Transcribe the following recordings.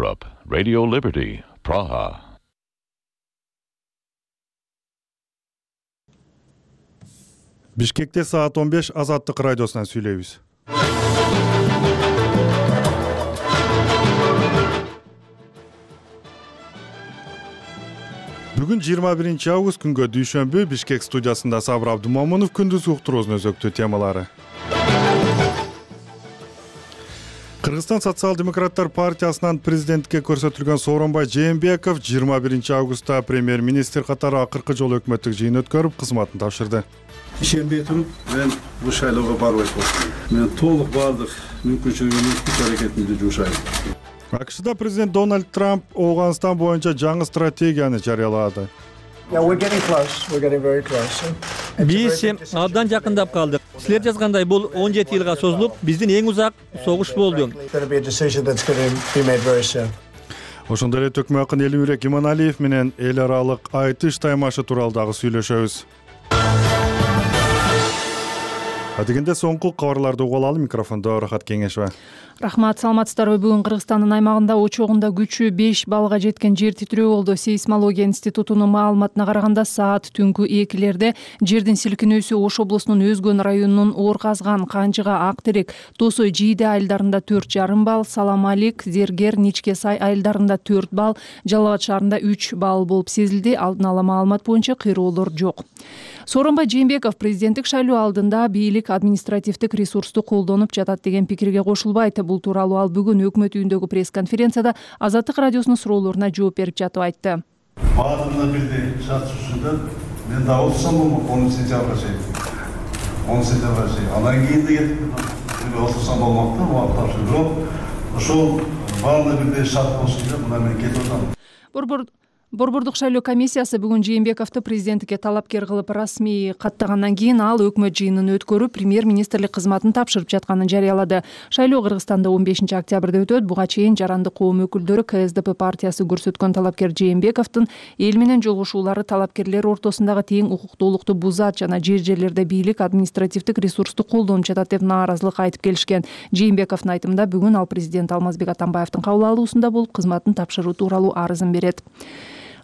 Radio Liberty, Praha. Бишкекте саат 15 Азаттык радиосунан сүйлөйбүз. Бүгүн 21 август күнгө дүйшөмбү Бишкек студиясында Сабыр Абдумомунов күндүз уктуруунун өзөктүү темалары. Кыргызстан социал-демократтар партиясынан президентке көрсөтүлгөн Сооронбай Жээнбеков 21 августта премьер-министр катары акыркы жолу өкмөттүк жыйын өткөрүп, кызматын тапшырды. Ишенбей туруп, мен бул шайлоого барбай коштум. Мен толук бардык мүмкүнчүлүгүмдү күч аракетимди жумшайм. АКШда президент Дональд Трамп Ооганстан боюнча жаңы стратегияны жарыялады. Биз абдан жакындап калдык. Силер жазгандай бул 17 жылга созулуп, биздин эң узак согуш болду. Ошондой эле Төкмө акын Элимбек Иманалиев менен эл аралык айтыш таймашы тууралуу дагы сүйлөшөбүз. Адегенде соңку кабарларды угуп алалы. Микрофондо Рахат Кеңешова. Рахмат, саламатсыздарбы? Бүгүн Кыргызстандын аймагында очогунда күчү 5 баллга жеткен жер титирөө болду. Сейсмология институтунун маалыматына караганда саат түнкү 2-лерде жердин силкинүүсү Ош облусунун Өзгөн районунун Орказган, Канжыга, Ак Терек, Тосой, Жийде айылдарында 4,5 балл, Саламалик, Зергер, Ничке Сай айылдарында 4 балл, Жалал Абад шаарында 3 балл болуп сезилди. Алдын ала маалымат боюнча кыйроолор жок. Сооронбай Жээнбеков президенттик шайлоо алдында бийлик административдик ресурсту колдонуп жатат деген пикирге кошулбайт. Бул тууралуу ал бүгүн өкмөт үйүндөгү пресс-конференцияда Азаттык радиосунун суроолоруна жооп берип жатып айтты. Баатында бирдей шартсызда мен да олсам болмок 10 сентябрга чейин. Анан кийин да кетип олсам болмок да, убакыт тапшырып. Ошол баатында бирдей шарт болсун деп мына мен кетип атам. Борбордук шайлоо комиссиясы бүгүн Жээнбековду президенттикке талапкер кылып расмий каттагандан кийин ал өкмөт жыйынын өткөрүп, премьер-министрлик кызматын тапшырып жатканын жарыялады. Шайлоо Кыргызстанда 15 октябрда өтөт. Буга чейин жарандык коом өкүлдөрү КСДП партиясы көрсөткөн талапкер Жээнбековдун эл менен жолугушуулары талапкерлер ортосундагы тең укуктуулукту бузат жана жерлерде бийлик административдик ресурсту колдонуп жатат деп нааразылык айтып келишкен. Жээнбековдун айтымында бүгүн ал президент Алмазбек Атамбаевдин кабыл алуусунда болуп, кызматын тапшыруу тууралуу арызын берет.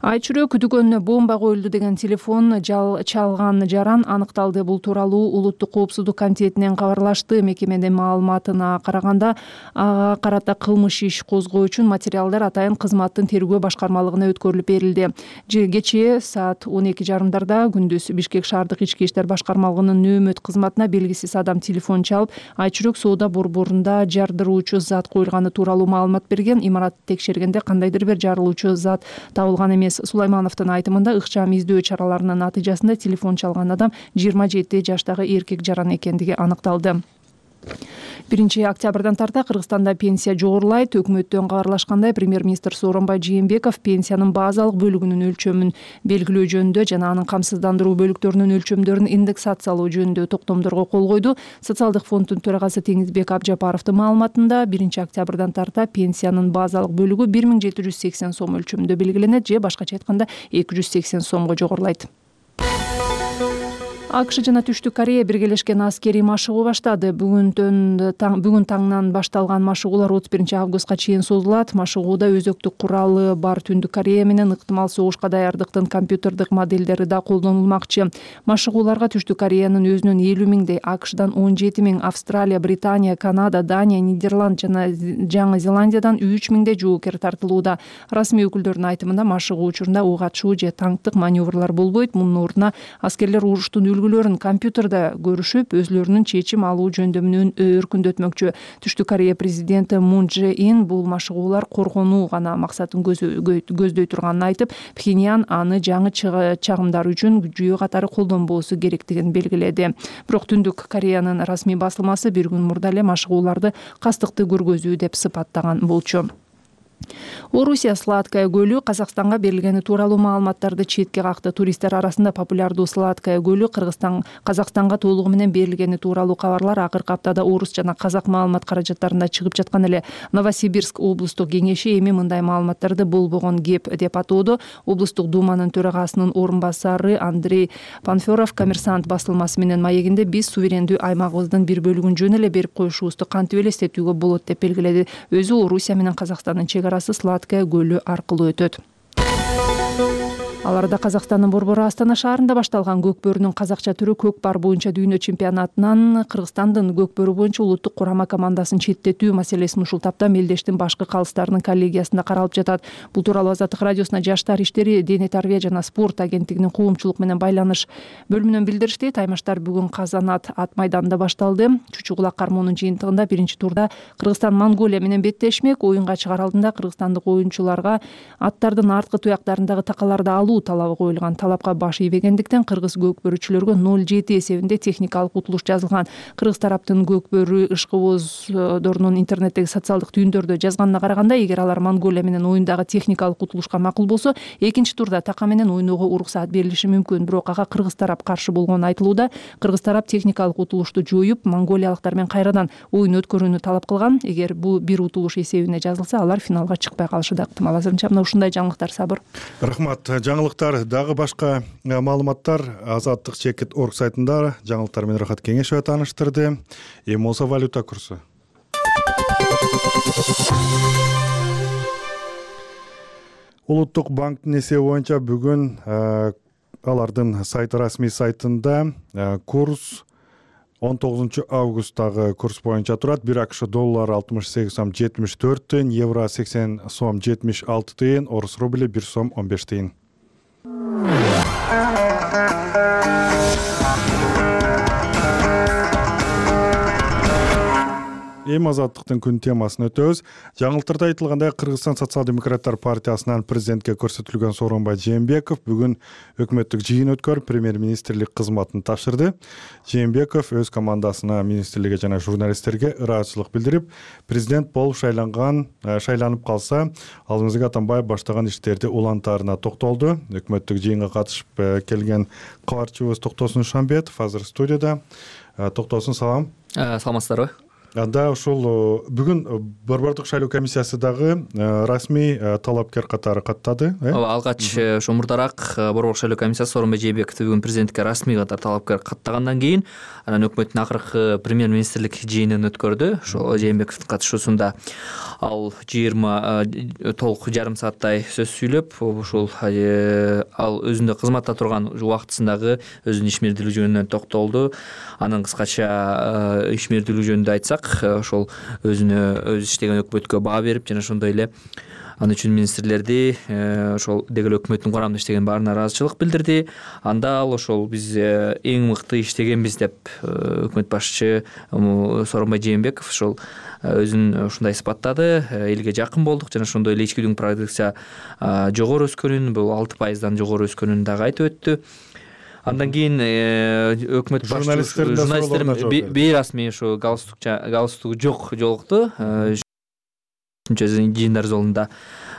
Айчүрөө күдүгөнүнө бомба коюлду деген телефон чалган жаран аныкталды. Бул тууралуу Улуттук коопсуздук комитетинен кабарлашты. Мекеменин маалыматына караганда ага карата кылмыш иш козгоо үчүн материалдар атайын кызматтын тергөө башкармалыгына өткөрүлүп берилди. Кечээ саат 12:30 күндүз Бишкек шаардык ички иштер башкармалыгынын нөөмөт кызматына белгисиз адам телефон чалып, Айчүрөк соода борборунда жардыруучу зат коюлганы тууралуу маалымат берген. Имаратты текшергенде кандайдыр бир жарылуучу зат табылган эмес. Сулаймановдун айтымында ыкчам издөө чараларынын натыйжасында телефон чалган адам 27 жаштагы эркек жаран экендиги аныкталды. 1 октябрдан тарта Кыргызстанда пенсия жогорулайт. Өкмөттөн кабарлашкандай, премьер-министр Сооронбай Жээнбеков пенсиянын базалык бөлүгүнүн өлчөмүн белгилөө жөнүндө жана анын камсыздандыруу бөлүктөрүнүн өлчөмдөрүн индексациялоо жөнүндө токтомдорго кол койду. Социалдык фонддун төрагасы Теңизбек Абжапаровдун маалыматында 1 октябрдан тарта пенсиянын базалык бөлүгү 1780 сом өлчөмүндө белгиленет же башкача айтканда 280 сомго жогорулайт. АКШ жана Түштүк Корея биргелешкен аскерий машыгуу баштады. Бүгүн таңнан башталган машыгуулар 31 августка чейин созулат. Машыгууда өзөктүк куралы бар Түндүк Корея менен ыктымал согушка даярдыктын компьютердик модельдери да колдонулмакчы. Машыгууларга Түштүк Кореянын өзүнөн 50 миңдей, АКШдан 17 миң, Австралия, Британия, Канада, Дания, Нидерланд жана Жаңы Зеландиядан 3 миңдей жоокер тартылууда. Расмий өкүлдөрдүн айтымында машыгуу учурунда ок атышуу же танктык маневрлар болбойт. Мунун ордуна аскерлер уруштун үлгүлөрүн компьютерде көрүшүп, өзлөрүнүн чечим алуу жөндөмүн өркүндөтмөкчү. Түштүк Корея президенти Мун Чже Ин бул машыгуулар коргонуу гана максатын көздөй турганын айтып, Пхеньян аны жаңы чагымдар үчүн жүйө катары колдонбоосу керектигин белгиледи. Бирок Түндүк Кореянын расмий басылмасы бир күн мурда эле машыгууларды кастыкты көргөзүү деп сыпаттаган болчу. Орусия Сладкая көлү Казакстанга берилгени тууралуу маалыматтарды четке какты. Туристтер арасында популярдуу Сладкая көлү Казакстанга толугу менен берилгени тууралуу кабарлар акыркы аптада орус жана казак маалымат каражаттарында чыгып жаткан эле. Новосибирск облустук кеңеши эми мындай маалыматтарды болбогон кеп деп атоодо. Облустук думанын төрагасынын орун басары Андрей Панферов Коммерсант басылмасы менен маегинде биз суверендүү аймагыбыздын бир бөлүгүн жөн эле берип коюшубузду кантип эле эстетүүгө болот деп белгиледи. Өзү Орусия менен Казакстандын чек арасы Сладкая көлү аркылуу өтөт. Аларда Казакстандын Борбору Астана шаарында башталган көкбөрүнүн казакча түрү көк бар боюнча дүйнө чемпионатынан Кыргызстандын көкбөрү боюнча улуттук курама командасын четтетүү маселесин ушул тапта Мелдештин башкы калыстарынын коллегиясында каралып жатат. Бул тууралуу Азаттык радиосуна Жаштар иштери, дене тарбия жана спорт агенттигинин коомчулук менен байланыш бөлүмүнөн билдиришти. Таймаштар бүгүн Казанат ат майданында башталды. Чучу кулак кармоонун жыйынтыгында биринчи турда Кыргызстан Монголия менен беттешмек. Оюнга чыгаар алдында кыргызстандык оюнчуларга аттардын арткы туяктарындагы такаларды алуу талабы коюлган. Талапка баш ийбегендиктен кыргыз көкбөрүчүлөргө 0-7 эсебинде техникалык утулуш жазылган. Кыргыз тараптын көкбөрү ышкыбоздорунун интернеттеги социалдык түйүндөрдө жазганына караганда, эгер алар Монголия менен оюндагы техникалык утулушка макул болсо, экинчи турда така менен ойноого уруксаат берилиши мүмкүн. Бирок ага кыргыз тарап каршы болгону айтылууда. Кыргыз тарап техникалык утулушту жоюп, монголиялыктар менен кайрадан оюн өткөрүүнү талап кылган. Эгер бул бир утулуш эсебине жазылса, алар финалга чыкпай калышы да ыктымал. Азырынча мына ушундай жаңылыктар Сабыр. Рахмат. Жаңылыктар дагы башка маалыматтар Азаттык чекит орг сайтында жаңылыктар менен Рахат Кеңешева тааныштырды. Эми болсо валюта курсу. Улуттук банктын эсеби боюнча бүгүн алардын расмий сайтында курс 19 августтагы курс боюнча турат. 1 АКШ доллары 68 сом 74 тыйын, евро 80 сом 76 тыйын, орус рубли 1 сом 15 тыйын. Эми Азаттыктын күн темасын өтөбүз. Жаңылыктарда айтылгандай, Кыргызстан социал-демократтар партиясынан президентке көрсөтүлгөн Сооронбай Жээнбеков бүгүн өкмөттүк жыйын өткөрүп, премьер-министрлик кызматын тапшырды. Жээнбеков өз командасына, министрликке жана журналисттерге ыраазычылык билдирип, президент болуп шайланып калса, алдыңызга Атамбаев баштаган иштерди улантаарына токтолду. Өкмөттүк жыйынга катышып келген кабарчыбыз Токтосун Шамбетов азыр студияда. Токтосун, салам. Саламатсыздарбы? Да, ушул бүгүн Борбордук шайлоо комиссиясы дагы расмий талапкер катары каттады. Ооба, алгач ошо мурдараак Борбордук шайлоо комиссиясы Сооронбай Жээнбековду бүгүн президентке расмий катары талапкер каттагандан кийин, анан өкмөттүн акыркы премьер-министрлик жыйынын өткөрдү. Ошо Жээнбековдун катышуусунда ал 20 толук жарым сааттай сөз сүйлөп, ушул ал өзүндө кызматта турган убактысындагы өзүнүн ишмердүүлүгү жөнүндө токтолду. Анын кыскача ишмердүүлүгү жөнүндө айтсак, ошол өз иштеген өкмөткө баа берип, жана ошондой эле ал үчүн министрлерди ошол деги эле өкмөттүн курамында иштеген баарына ыраазычылык билдирди. Анда ал ошол биз эң мыкты иштегенбиз деп өкмөт башчы Сооронбай Жээнбеков ошол өзүн ушундай сыпаттады. Элге жакын болдук, жана ошондой эле ички бүлүк продукция жогору өскөнүн, бул 6%дан жогору өскөнүн дагы айтып өттү. Андан кийин өкмөт журналисттердин бейрасмий ошо галстугу жок жолукту. Жыйындар залында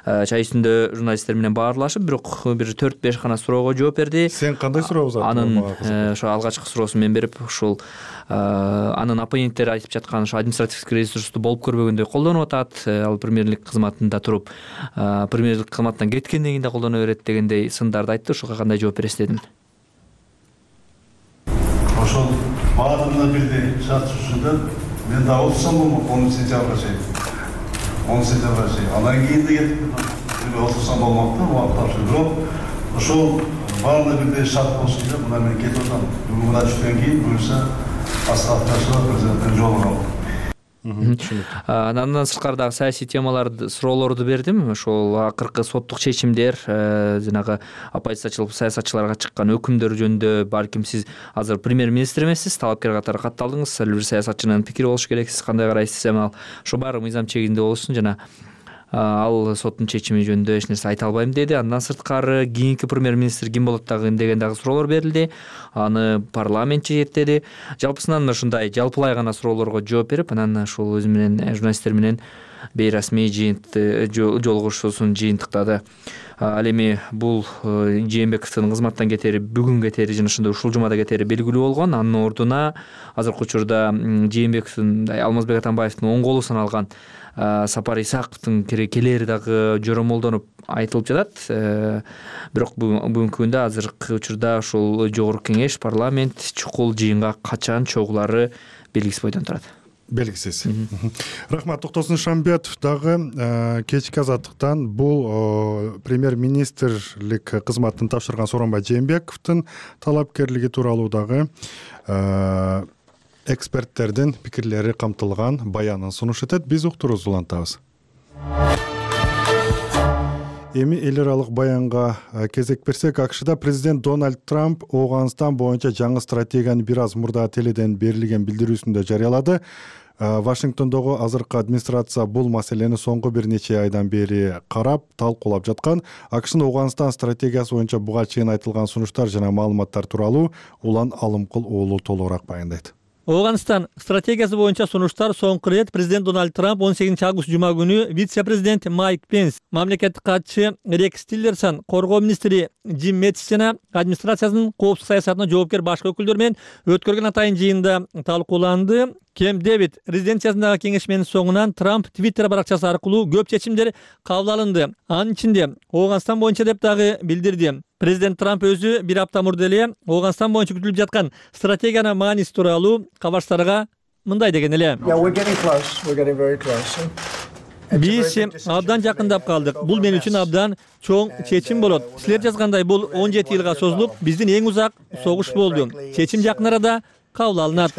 чай үстүндө журналисттер менен баарлашып, бирок бир 4-5 гана суроого жооп берди. Сен кандай суроо узаттың? Анын ошо алгачкы суроосун мен берип, ушул анын оппоненттери айтып жаткан ошо административдик ресурсту болуп көрбөгөндөй колдонуп атат. Ал премьерлик кызматында туруп, премьерлик кызматтан кеткенден кийин да колдоно берет дегендей сындарды айтты. Ошого кандай жооп бересиз дедим. Ошол баардыгына бирдей шарт түзүлдү. Мен да отурсам болмок 10 сентябрга чейин. 10 сентябрга чейин. Андан кийин да кетип отурсам болмок да, убакыт тапшырып. Бирок ошол баардыгына бирдей шарт болсун деп, мына мен кетип атам. Бүгүн мына түштөн кийин буюрса Асхат президенттин жолуна. Андан сырткары дагы саясий темаларды, суроолорду бердим. Ошол акыркы соттук чечимдер, жанагы оппозициячыл саясатчыларга чыккан өкүмдөр жөнүндө, балким сиз азыр премьер-министр эмессиз, талапкер катары катталдыңыз, ар бир саясатчынын пикири болуш керек, сиз кандай карайсыз? Эми ошо баары мыйзам чегинде болсун, жана ал соттун чечими жөнүндө эч нерсе айта албайм деди. Андан сырткары кийинки премьер-министр ким болот деген дагы суроолор берилди. Аны парламент чечет. Жалпысынан ушундай жалпылай гана суроолорго жооп берип, анан ушул өзү менен журналисттер менен бейрасмий жолугушуусун жыйынтыктады. Ал эми бул Жээнбековдун кызматтан кетери бүгүн кетери жана ошондой ушул жумада кетери белгилүү болгон. Анын ордуна азыркы учурда Жээнбековдун Алмазбек Атамбаевдин оң колу саналган Сапар Исаковдун келери дагы жоромолдонуп айтылып жатат. Бирок бүгүнкү күндө азыркы учурда ушул жогорку кеңеш, парламент чукул жыйынга качан чогулары белгисиз бойдон турат. Белгисиз. Рахмат. Токтосун Шамбетов дагы кечки азаттыктан бул премьер-министрлик кызматын тапшырган Сооронбай Жээнбековдун талапкерлиги тууралуу дагы эксперттердин пикирлери камтылган баянын сунуш этет. Биз уктуруубузду улантабыз. Эми эл аралык баянга кезек берсек, АКШда президент Дональд Трамп Ооганстан боюнча жаңы стратегияны бир аз мурда теледен берилген билдирүүсүндө жарыялады. Вашингтондогу азыркы администрация бул маселени соңку бир нече айдан бери карап, талкуулап жаткан. АКШнын Ооганстан стратегиясы боюнча буга чейин айтылган сунуштар жана маалыматтар тууралуу Улан Алымкул уулу толугураак баяндайт. Ооганстан стратегиясы боюнча сунуштар соңку рет президент Дональд Трамп 18 август жума күнү вице-президент Майк Пенс, мамлекеттик катчы Рекс Тиллерсон, коргоо министри Джим Мэттис жана администрациясынын коопсуздук саясатына жоопкер башка өкүлдөр менен өткөргөн атайын жыйында талкууланды. Кемп Дэвид резиденциясындагы кеңешменин соңунан Трамп Твиттер баракчасы аркылуу көп чечимдер кабыл алынды. Анын ичинде Ооганстан боюнча деп дагы билдирди. Президент Трамп өзү бир апта мурда эле Ооганстан боюнча күтүлүп жаткан стратегиянын мааниси тууралуу кабарчтарга мындай деген эле. Биз абдан жакындап калдык. Бул мен үчүн абдан чоң чечим болот. Силер жазгандай бул 17 жылга созулуп, биздин эң узак согуш болду. Чечим жакын арада кабыл алынат.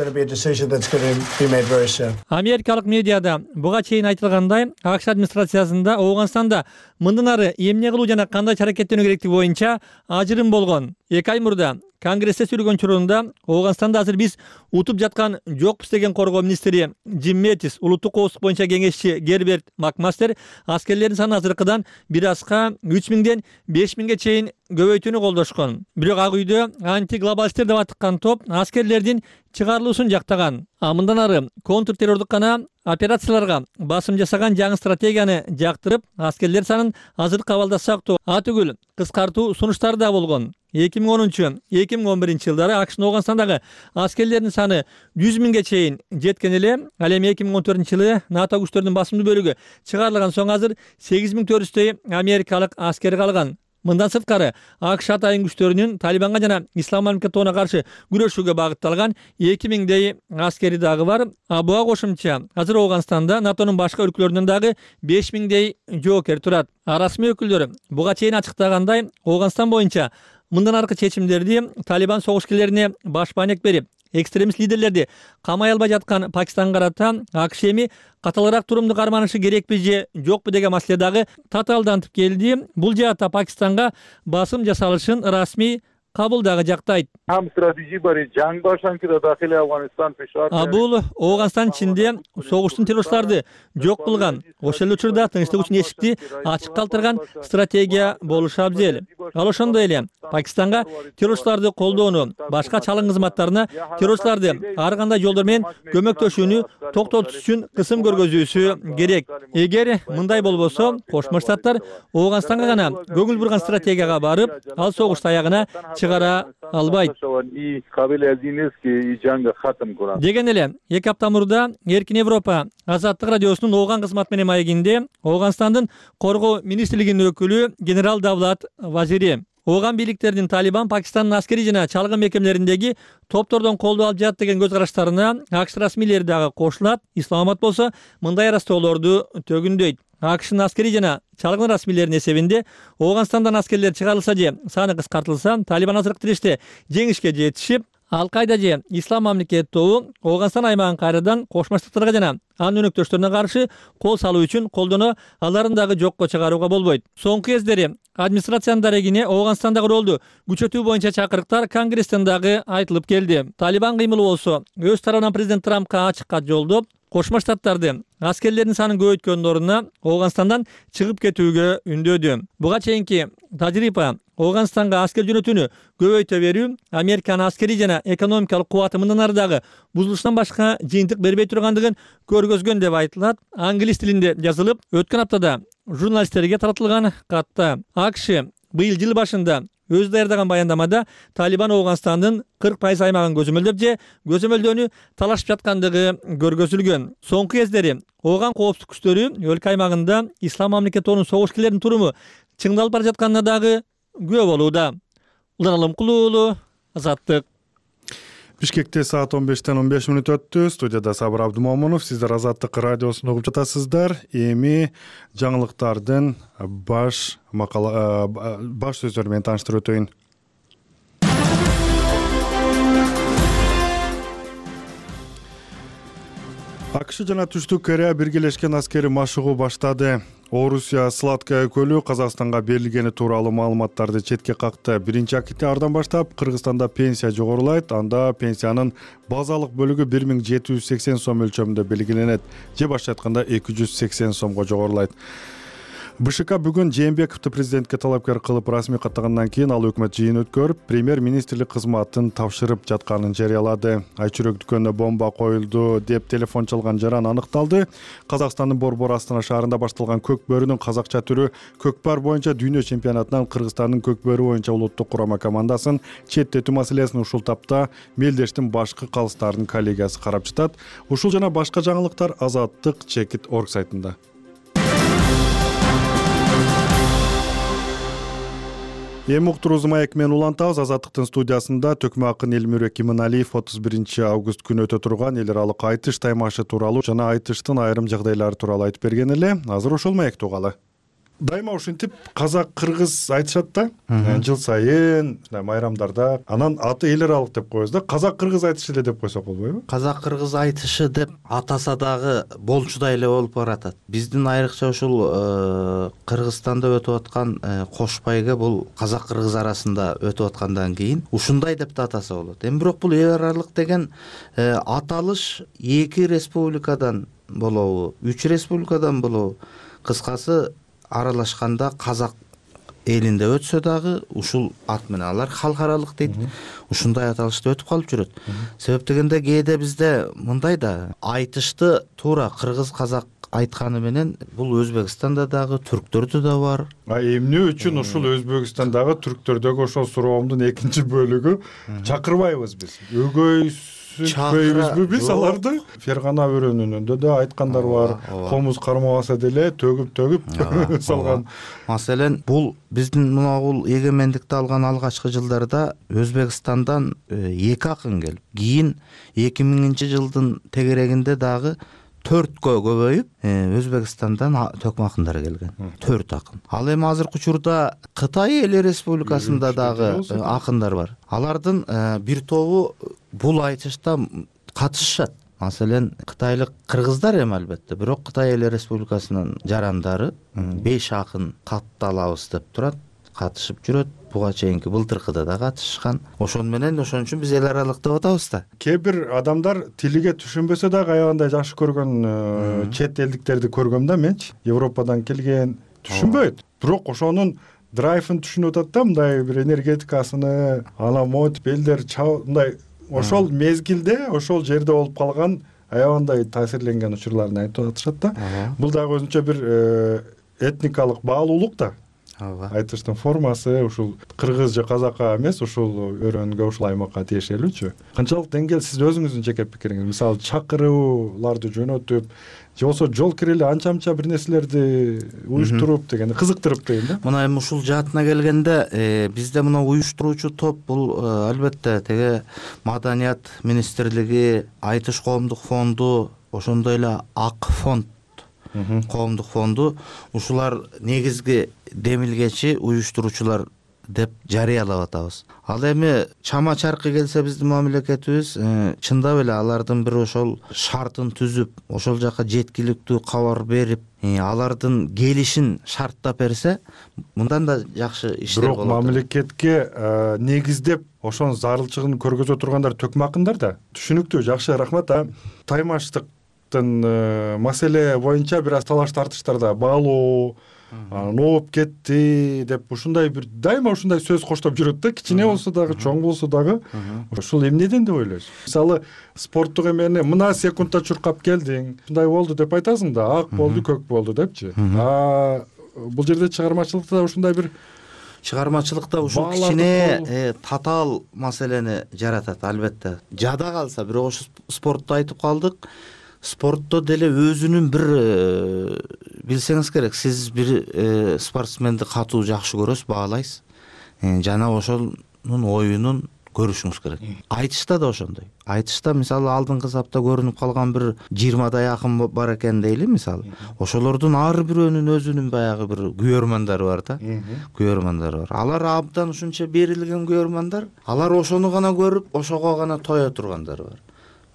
Америкалык медиада буга чейин айтылгандай, АКШ администрациясында Ооганстанда мындан ары эмне кылуу жана кандай аракеттенүү керектиги боюнча ажырым болгон. 2 ай мурда Конгрессте сүйлөгөн учурунда Ооганстанда азыр биз утуп жаткан жокпуз деген коргоо министри Джим Мэттис, улуттук коопсуздук боюнча кеңешчи Герберт Макмастер аскерлердин саны азыркыдан бир азга 3000ден 5000ге чейин көбөйтүүнү колдошкон. Бирок Ак үйдө антиглобалисттер деп атыккан топ аскерлердин чыгарылуусун жактаган. Мындан ары контртеррордук гана операцияларга басым жасаган жаңы стратегияны жактырып, аскерлер санын азыркы абалда сактоо, атүгүл кыскартуу сунуштары да болгон. 2010-2011 жылдары АКШнын Ооганстандагы аскерлердин саны 100 миңге чейин жеткен эле. Ал эми 2014 жылы НАТО күчтөрүнүн басымдуу бөлүгү чыгарылган соң азыр 8400 америкалык аскер калган. Мындан сырткары АКШ атайын күчтөрүнүн Талибанга жана Ислам мамлекети тобуна каршы күрөшүүгө багытталган 2000дей аскери дагы бар. Буга кошумча азыр Ооганстанда НАТОнун башка өлкөлөрүнөн дагы 5000дей жоокер турат. Расмий өкүлдөр буга чейин ачыктагандай, Ооганстан боюнча мындан аркы чечимдерди Талибан согушкерлерине баш баанек берип, экстремист лидерлерди камай албай жаткан Пакистанга карата АКШ эми каталыраак турумду карманышы керекпи же жокпу деген маселе дагы татаалдантып келди. Бул жаатта Пакистанга басым жасалышын расмий Кабул дагы жактайт. Бул Ооганстан ичинде согуштун террористтарды жок кылган, ошол эле учурда тынчтык үчүн эшикти ачык калтырган стратегия болушу абзел. Ал ошондой эле Пакистанга террористтарды колдоону, башка чалым кызматтарына террористтарды ар кандай жолдор менен көмөктөшүүнү токтотуш үчүн кысым көргөзүүсү керек. Эгер мындай болбосо, Кошмо Штаттар Ооганстанга гана көңүл бурган стратегияга барып, ал согушту аягына чыгара албайт. Деген эле 2 апта мурда Эркин Европа Азаттык радиосунун Ооган кызмат менен маегинде Ооганстандын коргоо министрлигинин өкүлү генерал Давлат Вазири Ооган бийликтеринин Талибан Пакистандын аскери жана чалгын мекемелериндеги топтордон колдоо алып жатат деген көз караштарына АКШ расмийлери дагы кошулат. Исламабад болсо мындай арастоолорду төгүндөйт. АКШнын аскери жана чалгын расмийлеринин эсебинде Ооганстандан аскерлер чыгарылса же саны кыскартылса, Талибан азыркы тиреште жеңишке жетишип, Ал-Кайда же Ислам мамлекети тобу Ооганстан аймагын кайрадан Кошмо Штаттарга жана анын өнөктөштөрүнө каршы кол салуу үчүн колдоно, аларын дагы жокко чыгарууга болбойт. Соңку кездери администрациянын дарегине Ооганстандагы ролду күчөтүү боюнча чакырыктар Конгресстен дагы айтылып келди. Талибан кыймылы болсо өз тарабынан президент Трампка ачык кат жолдоп, Кошмо Штаттарды аскерлердин санын көбөйткөндүн ордуна Ооганстандан чыгып кетүүгө үндөдү. Буга чейинки тажрыйба Ооганстанга аскер жөнөтүүнү көбөйтө берүү, Американын аскерий жана экономикалык кубаты мындан ары дагы бузулуштан башка жыйынтык бербей тургандыгын көргөзгөн деп айтылат. Англис тилинде жазылып, өткөн аптада журналисттерге таратылган катта АКШ быйыл жыл башында өзү даярдаган баяндамада Талибан Ооганстандын 40% аймагын көзөмөлдөп же көзөмөлдөөнү талашып жаткандыгы көргөзүлгөн. Соңку кездери Ооган коопсуздук күчтөрү өлкө аймагында Ислам мамлекети согушкерлердин туруму чыңдалып бара жатканына дагы күбө болууда. Улан Алымкулуу уулу, Азаттык. Бишкекте саат 15:15 өттү. Студияда Сабыр Абдумомунов. Сиздер Азаттык радиосун угуп жатасыздар. Эми жаңылыктардын баш сөздөрү менен тааныштырып өтөйүн. АКШ жана Түштүк Корея биргелешкен аскерий машыгуу баштады. Орусия Сладкая көлү Казакстанга берилгени тууралуу маалыматтарды четке какты. 1-октябрдан баштап Кыргызстанда пенсия жогорулайт. Анда пенсиянын базалык бөлүгү 1780 сом өлчөмүндө белгиленет. Же башка айтканда 280 сомго жогорулайт. БШК бүгүн Жээнбековду президентке талапкер кылып расмий каттагандан кийин ал өкмөт жыйын өткөрүп, премьер-министрлик кызматын тапшырып жатканын жарыялады. Айчүрөк дүкөнүнө бомба коюлду деп телефон чалган жаран аныкталды. Казакстандын Борбор Астана шаарында башталган көк бөрүнүн казакча түрү көкпар боюнча дүйнө чемпионатынан Кыргызстандын көк бөрү боюнча улуттук курама командасын четтетүү маселесин ушул тапта Мелдештин башкы калыстардын коллегиясы карап жатат. Ушул жана башка жаңылыктар Азаттык-org сайтында. Эми уктуруубузду маек менен улантабыз. Азаттыктын студиясында Төкмө акын Элмирбек Иманалиев 31-август күнү өтө турган эл аралык айтыш таймашы тууралуу жана айтыштын айрым жагдайлары тууралуу айтып берген эле. Азыр ошол маекте угалы. Дайыма ушинтип казак-кыргыз айтышат да. Жыл сайын майрамдарда. Анан аты эл аралык деп коебуз да. Казак-кыргыз айтышы эле деп койсок болбойбу? Казак-кыргыз айтышы деп атаса дагы болчудай эле болуп баратат. Биздин айрыкча ушул Кыргызстанда өтүп аткан кош байга бул казак-кыргыз арасында өтүп аткандан кийин ушундай деп да атаса болот. Эми бирок бул эл аралык деген аталыш 2 республикадан болобу, 3 республикадан болобу? Кыскасы аралашканда казак элинде өтсө дагы ушул ат менен алар халкаралык дейт. Ушундай аталышты өтүп калып жүрөт. Себеп дегенде кээде бизде мындай да айтышты туура кыргыз казак айтканы менен бул Өзбекстанда дагы, түрктөрдө да бар. Эмне үчүн ушул Өзбекстандагы түрктөрдөгү ошол суроомдун экинчи бөлүгү чакырбайбыз биз? Чакырбайбызбы биз аларды? Фергана өрөөнүндө да айткандар бар. Комуз кармабаса деле төгүп салган. Маселен, бул биздин бул эгемендикти алган алгачкы жылдарда Өзбекстандан 2 акын келип, кийин 2000-жылдын тегерегинде дагы 4кө көбөйүп, Өзбекстандан төкмө акындар келген. 4 акын. Ал эми азыркы учурда Кытай Эл Республикасында дагы акындар бар. Алардын бир тобу бул айтышта катышышат. Маселен, кытайлык кыргыздар эми албетте, бирок Кытай Эл Республикасынын жарандары 5 акын катталабыз деп турат, катышып жүрөт. Буга чейинки былтыркыда да катышкан. Ошон менен ошон үчүн биз эл аралык деп атабыз да. Кээ бир адамдар тилиге түшүнбөсө дагы аябандай жакшы көргөн чет элдиктерди көргөм да менчи. Европадан келген түшүнбөйт. Бирок ошонун драйвын түшүнүп атат да, мындай бир энергетикасыны, анан монтип элдер мындай ошол мезгилде, ошол жерде болуп калган аябандай таасирленген учурларын айтып атышат да. Бул дагы өзүнчө бир этникалык баалуулук да. Айтыштын формасы ушул кыргыз же казакка эмес, ушул өрөөнгө, ушул аймакка тиешелүүчү. Канчалык деңгээл сиз өзүңүздүн жеке пикириңиз? Мисалы, чакырууларды жөнөтүп, же болбосо жол кирели анча-мынча бир нерселерди уюштуруп дегенди кызыктырып дейм да. Мына эми ушул жаатына келгенде, бизде мына уюштуруучу топ бул албетте теге Маданият министрлиги, Айтыш коомдук фонду, ошондой эле Ак фонд, коомдук фонду, ушулар негизги демилгечи уюштуруучулар деп жарыялап атабыз. Ал эми чама чаркы келсе биздин мамлекетибиз чындап эле алардын бир ошол шартын түзүп, ошол жака жеткиликтүү кабар берип, алардын келишин шарттап берсе, мындан да жакшы иштер болот. Бирок мамлекетке негиздеп ошонун зарылчылыгын көргөзө тургандар төкмө акындар да. Түшүнүктүү, жакшы, рахмат. Таймаштыктын маселе боюнча бир аз талаш тартыштарда баалоо ооп кетти деп ушундай бир дайыма ушундай сөз коштоп жүрөт да, кичине болсо дагы, чоң болсо дагы. Ушул эмнеден деп ойлойсуз? Мисалы, спорттук эмени мына секундта чуркап келдиң, ушундай болду деп айтасың да, ак болду, көк болду депчи. Бул жерде чыгармачылыкта ушундай бир ушул кичине татаал маселени жаратат, албетте. Жада калса, бирок ошо спортто айтып калдык. Спортто деле өзүнүн бир билсеңиз керек, сиз бир спортсменди катуу жакшы көрөсүз, баалайсыз. Жана ошонун оюнун көрүшүңүз керек. Айтышта да ошондой. Айтышта мисалы алдыңкы сапта көрүнүп калган бир 20дай акын бар экен дейли, мисалы. Ошолордун ар бирөөнүн өзүнүн баягы бир күйөрмандары бар да. Күйөрмандары бар. Алар абдан ушунча берилген күйөрмандар. Алар ошону гана көрүп, ошого гана тоё тургандар бар.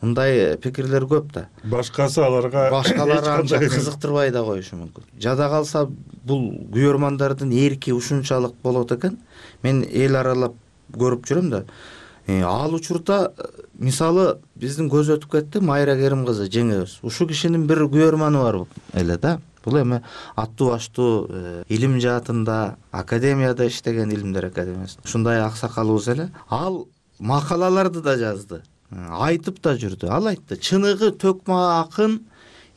Мындай пикирлер көп да. Башкасы аларга анча кызыктырбай да коюшу мүмкүн. Жада калса бул күйөрмандардын эрки ушунчалык болот экен. Мен эл аралап көрүп жүрөм да. Ал учурда мисалы биздин көз өтүп кетти, Майра Керим кызы жеңебиз. Ушул кишинин бир күйөрманы бар эле да. Бул эми аттуу баштуу илим жаатында, академияда иштеген, Илимдер академиясында. Ушундай аксакалыбыз эле. Ал макалаларды да жазды. Айтып да жүрдү. Ал айтты, чыныгы төкмө акын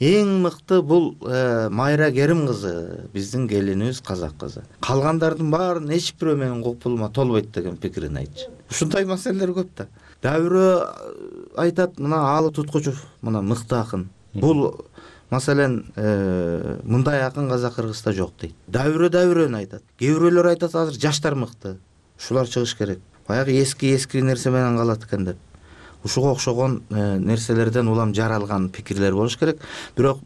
эң мыкты бул Майра Керим кызы, биздин келинибиз, казак кызы. Калгандардын баарын эч бирөө менин копулума толбойт деген пикирин айтчу. Ушундай маселелер көп да. Дабирөө айтат, мына Алы Туткучев, мына мыкты акын. Бул маселен мындай акын Казак-Кыргызда жок дейт. Дабирөөнү айтат. Кээ бирөөлөр айтат, азыр жаштар мыкты. Ушулар чыгыш керек. Баягы эски нерсе менен калат экен деп. Ушуга окшогон нерселерден улам жаралган пикирлер болуш керек. Бирок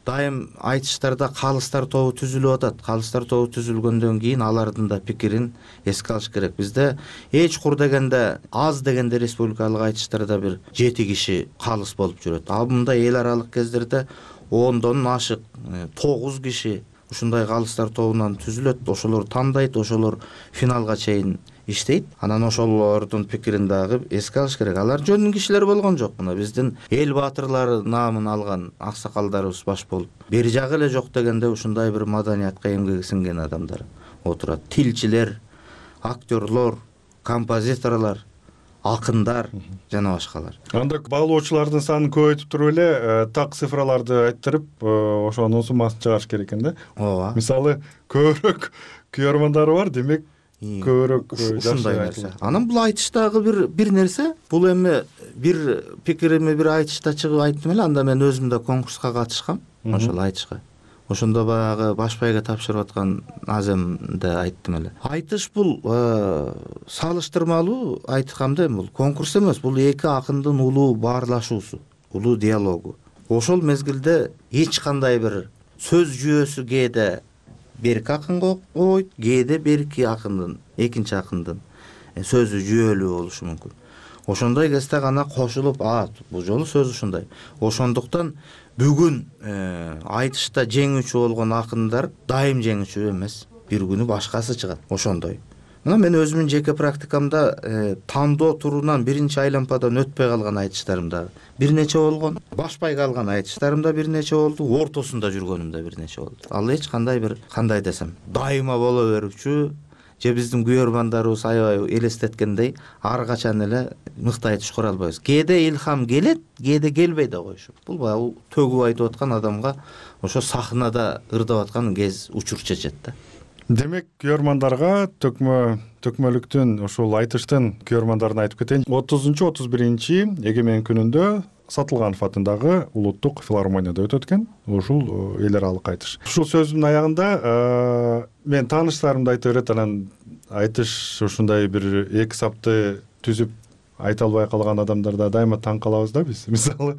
дайым айтыштарда калыстар тобу түзүлүп атат. Калыстар тобу түзүлгөндөн кийин алардын да пикирин эске алыш керек. Бизде эч кур дегенде, аз дегенде республикалык айтыштарда бир 7 киши калыс болуп жүрөт. Ал мындай эл аралык кездерде 10дон ашык 9 киши ушундай калыстар тобунан түзүлөт. Ошолор тандайт, ошолор финалга чейин иштейт. Анан ошолордун пикирин дагы эске алыш керек. Алар жөнүн кишилер болгон жок. Мына биздин эл баатырлары наамын алган аксакалдарыбыз баш болуп, бери жагы эле жок дегенде ушундай бир маданиятка эмгеги сиңген адамдар отурат. Тилчилер, актерлор, композиторлор, акындар жана башкалар. Анда баалоочулардын санын көбөйтүп туруп эле так цифраларды айттырып, ошонун суммасын чыгарыш керек экен да. Ооба. Мисалы, көбүрөөк күйөрмандары бар, демек көбүрөөк ушундай нерсе. Анан бул айтыштагы бир нерсе, бул эми бир пикирими бир айтышта чыгып айттым эле, анда мен өзүм да конкурска катышкам, ошол айтышка. Ошондо баягы башпайга тапшырып аткан аземде айттым эле. Айтыш бул салыштырмалуу айткам да, бул конкурс эмес, бул эки акындын улуу баарлашуусу, улуу диалогу. Ошол мезгилде эч кандай бир сөз жүйөсү кээде берки акынга койт, кээде берки акындын, экинчи акындын сөзү жүйөлүү болушу мүмкүн. Ошондой кезде гана кошулуп, бул жолу сөз ушундай. Ошондуктан бүгүн айтышта жеңүүчү болгон акындар дайым жеңүүчү эмес. Бир күнү башкасы чыгат. Ошондой. Мына мен өзүмдүн жеке практикамда тандоо турунан биринчи айлампадан өтпөй калган айтыштарым да бир нече болгон. Башпай калган айтыштарым да бир нече болду. Ортосунда жүргөнүм да бир нече болду. Ал эч кандай бир, кандай десем, дайыма боло берүүчү, же биздин күйөрмандарыбыз аябай элестеткендей ар качан эле мыкты айтыш кура албайбыз. Кээде илхам келет, кээде келбей да коюшу. Бул баягы төгүп айтып аткан адамга ошо сахнада ырдап аткан кез учур чечет да. Демек, күйөрмандарга төкмөлүктүн, ушул айтыштын күйөрмандарын айтып кетейин. 30-31 эгемен күнүндө Сатылганов атындагы улуттук филармонияда өтөт экен. Ушул эл аралык айтыш. Ушул сөзүмдүн аягында мен тааныштарымды айтып берет, анан айтыш ушундай бир эки сапты түзүп айта албай калган адамдарда дайыма таң калабыз да биз. Мисалы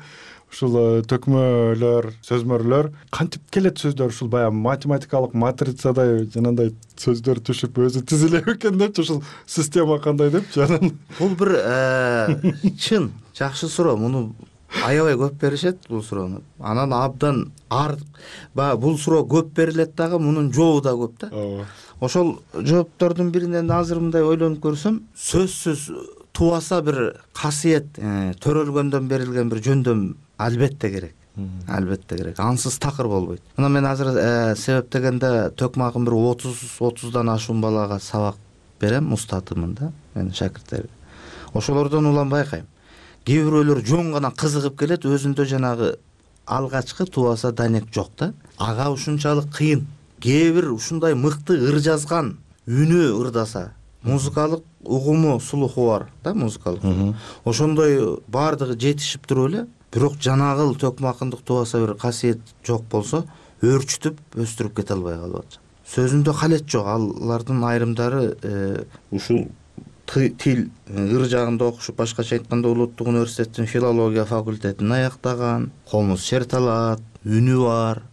ушул төкмөлөр, сөзмөрлөр кантип келет сөздөр, ушул баягы математикалык матрицадай жанагындай сөздөр түшүп өзү тизилеби экен депчи, ушул система кандай депчи. Анан бул бир чын жакшы суроо. Муну аябай көп беришет бул суроону. Анан абдан баягы бул суроо көп берилет дагы, мунун жообу да көп да. Ошол жооптордун биринен азыр мындай ойлонуп көрсөм, сөзсүз тубаса бир касиет, төрөлгөндөн берилген бир жөндөм албетте керек. Албетте керек. Ансыз такыр болбойт. Мына мен азыр себеп дегенде төкмакым бир 30-30дан ашуун балага сабак берем, устатымын да менин шакирттериме. Ошолордон улам байкайм. Кээ бирөөлөр жөн гана кызыгып келет, өзүндө жанагы алгачкы тубаса данек жок да. Ага ушунчалык кыйын. Кээ бир ушундай мыкты ыр жазган, үнү ырдаса, музыкалык угуму, слуху бар да, музыкалык. Ошондой баардыгы жетишип туруп эле, бирок жанагыл төкмакындык тубаса бир касиет жок болсо, өөрчүтүп өстүрүп кете албай калып атат. Сөзүндө калет жок. Алардын айрымдары ушул тил ыр жагында окушуп, башкача айтканда Улуттук университеттин филология факультетин аяктаган, комуз шерт алат, үнү бар,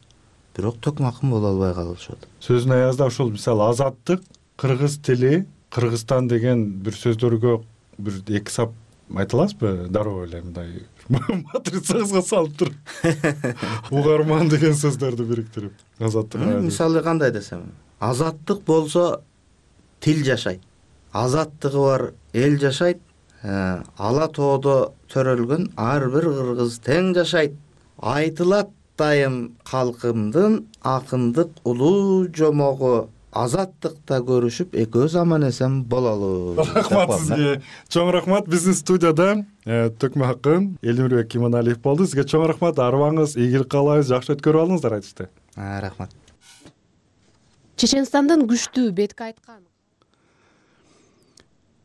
бирок төкмакын боло албай калышат. Сөзүн аязда ушул мисалы азаттык, кыргыз тили, Кыргызстан деген бир сөздөргө бир эки сап айта аласызбы? Дароо эле мындай матрицаңызга салып туруп угарман деген сөздөрдү бириктирип. Азаттык. Мисалы кандай десем, азаттык болсо тил жашайт. Азаттыгы бар эл жашайт. Ала тоодо төрөлгөн ар бир кыргыз тең жашайт. Айтылат дайым калкымдын акындык улуу жомогу. Азаттыкта көрүшүп экөөбүз аман эсен бололу. Рахмат сизге. Чоң рахмат. Биздин студияда төкмө акын Элимирбек Иманалиев болду. Сизге чоң рахмат. Арыбаңыз ийгилик каалайбыз. Жакшы өткөрүп алыңыздар айтышты. Рахмат. Чеченстандын күчтүү бетке айткан.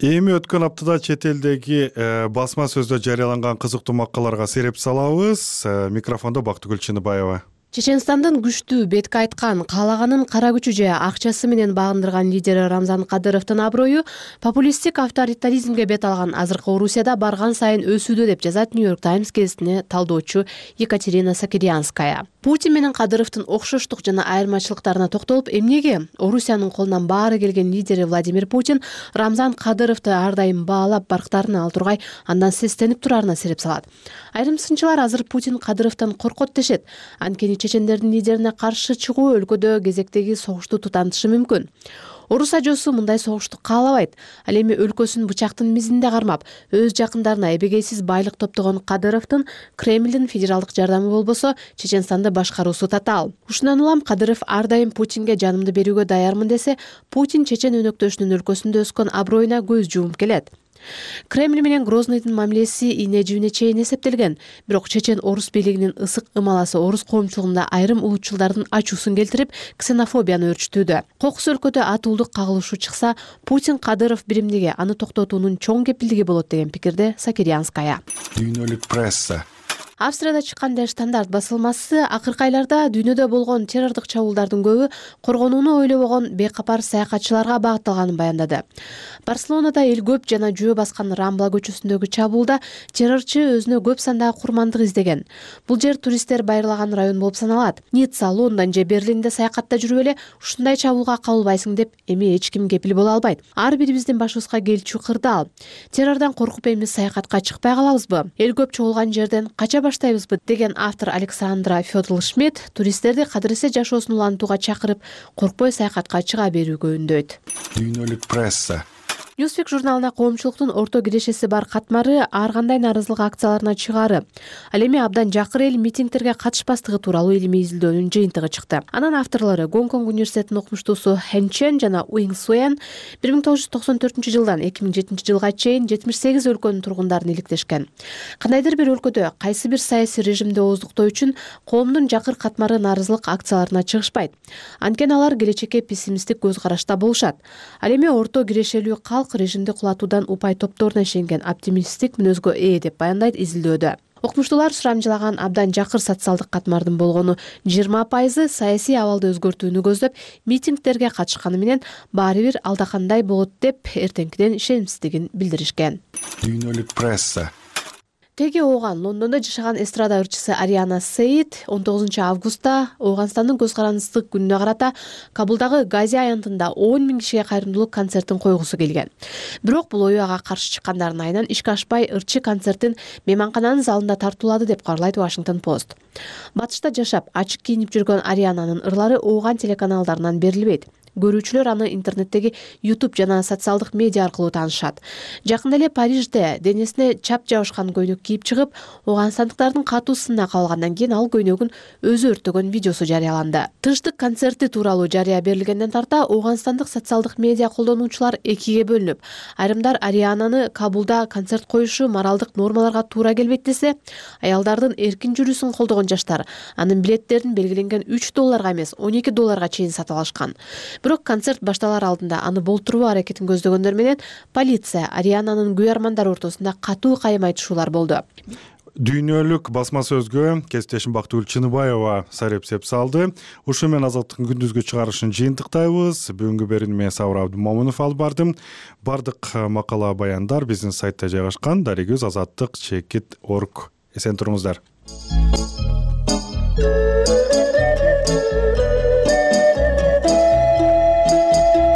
Эми өткөн аптада чет элдеги басма сөздө жарыяланган кызыктуу макалаларга сереп салабыз. Микрофондо Бактыгүл Чыныбаева. Чеченстандын күчтүү бетке айткан, каалаганын кара күчү же акчасы менен багындырган лидери Рамзан Кадыровдун аброю популисттик авторитаризмге бет алган азыркы Орусияда барган сайын өсүүдө деп жазат Нью-Йорк Таймс гезитине талдоочу Екатерина Сакирянская. Путин менен Кадыровдун окшоштук жана айырмачылыктарына токтолуп, эмнеге Орусиянын колунан баары келген лидери Владимир Путин Рамзан Кадыровду ар дайым баалап барктарына ал тургай андан сестенип турарына сереп салат. Айрым сынчылар азыр Путин Кадыровдон коркот дешет. Анткени чечендердин лидерине каршы чыгуу өлкөдө кезектеги согушту тутантышы мүмкүн. Орус ажоосу мындай согушту каалабайт. Ал эми өлкөсүн бычактын мизинде кармап, өз жакындарына эбегейсиз байлык топтогон Кадыровдун Кремлдин федералдык жардамы болбосо, Чеченстанды башкаруусу татаал. Ушундан улам Кадыров ар дайым Путинге жанымды берүүгө даярмын десе, Путин чечен өнөктөшүнүн өлкөсүндө өскөн аброюна көз жумуп келет. Кремль менен Грознойдун мамилеси ийне жибине чейин эсептелген. Бирок чечен орус бийлигинин ысык ымаласы орус коомчулугунда айрым улутчулдардын ачуусун келтирип, ксенофобияны өрчүтүүдө. Кокус өлкөдө атуулдук кагылышуу чыкса, Путин Кадыров биримдиги аны токтотуунун чоң кепилдиги болот деген пикирде Сакирянская. Дүйнөлүк пресса. Австрияда чыккан Der Стандарт басылмасы акыркы айларда дүйнөдө болгон террордук чабуулдардын көбү коргонууну ойлобогон бейкапар саякатчыларга багытталганын баяндады. Барселонада эл көп жана жөө баскан Рамбла көчөсүндөгү чабуулда террорчу өзүнө көп сандагы курмандык издеген. Бул жер туристтер байырлаган район болуп саналат. Ницца, Лондон же Берлинде саякатта жүрүп эле ушундай чабуулга кабылбайсың деп эми эч ким кепил боло албайт. Ар бирибиздин башыбызга келчү кырдаал. Террордон коркуп эми саякатка чыкпай калабызбы? Эл көп чогулган жерден кача баштайбызбы деген автор Александра Фёдл-Шмидт туристтерди кадыресе жашоосун улантууга чакырып, коркпой саякатка чыга берүүгө үндөйт. Дүйнөлүк пресса. Newsweek журналына коомчулуктун орто кирешеси бар катмары ар кандай нааразылык акцияларына чыгары. Ал эми абдан жакыр эл митингтерге катышпастыгы тууралуу илимий изилдөөнүн жыйынтыгы чыкты. Анын авторлору Гонконг университетинин окумуштуусу Хэн Чен жана Уинг Суэн 1994-жылдан 2007-жылга чейин 78 өлкөнүн тургундарын иликтешкен. Кандайдыр бир өлкөдө кайсы бир саясий режимди ооздуктоо үчүн коомдун жакыр катмары нааразылык акцияларына чыгышпайт. Анткени алар келечекке пессимисттик көз карашта болушат. Ал эми орто кирешелүү режимди кулатуудан упай топторуна ишенген оптимисттик мүнөзгө ээ деп баяндайт изилдөөдө. Окумуштуулар сурамжылаган абдан жакыр социалдык катмардын болгону 20% саясий абалды өзгөртүүнү көздөп митингдерге катышканы менен баары бир алда кандай болот деп эртеңкиден ишенимсиздигин билдиришкен. Дүйнөлүк пресса. Теги ооган Лондондо жашаган эстрада ырчысы Ариана Сейд 19 августта Ооганстандын көз карандысыздык күнүнө карата Кабулдагы Гази аянтында 10 000 кишиге кайрымдуулук концертин койгусу келген. Бирок бул ою ага каршы чыккандардын айынан ишке ашпай ырчы концертин мейманкананын залында тартуулады деп кабарлайт Washington Post. Батышта жашап, ачык кийинип жүргөн Ариананын ырлары ооган телеканалдарынан берилбейт. Көрүүчүлөр аны интернеттеги YouTube жана социалдык медиа аркылуу таанышат. Жакында эле Парижде денесине чап жабышкан көйнөк кийип чыгып, ооганстандыктардын катуу сынына кабылгандан кийин ал көйнөгүн өзү өрттөгөн видеосу жарыяланды. Тынчтык концерти тууралуу жарыя берилгенден тарта ооганстандык социалдык медиа колдонуучулар экиге бөлүнүп, айрымдар Ариананы Кабулда концерт коюшу моралдык нормаларга туура келбейт десе, аялдардын эркин жүрүүсүн колдогон жаштар анын билеттерин белгиленген $3 эмес $12 чейин сатып алышкан. Бирок концерт башталар алдында аны болтуруу аракетин көздөгөндөр менен полиция Ариананын күйөрмандары ортосунда катуу кайым айтышуулар болду. Дүйнөлүк басма сөзгө кесиптешим Бактыгүл Чыныбаева сарепсеп салды. Ушу менен Азаттыктын күндүзгү чыгарышын жыйынтыктайбыз. Бүгүнкү берүүнү мен Сабыр Абдымомунов алып бардым. Бардык макала баяндар биздин сайтта жайгашкан. Дарегүз azаттык.org. Эсен туруңуздар.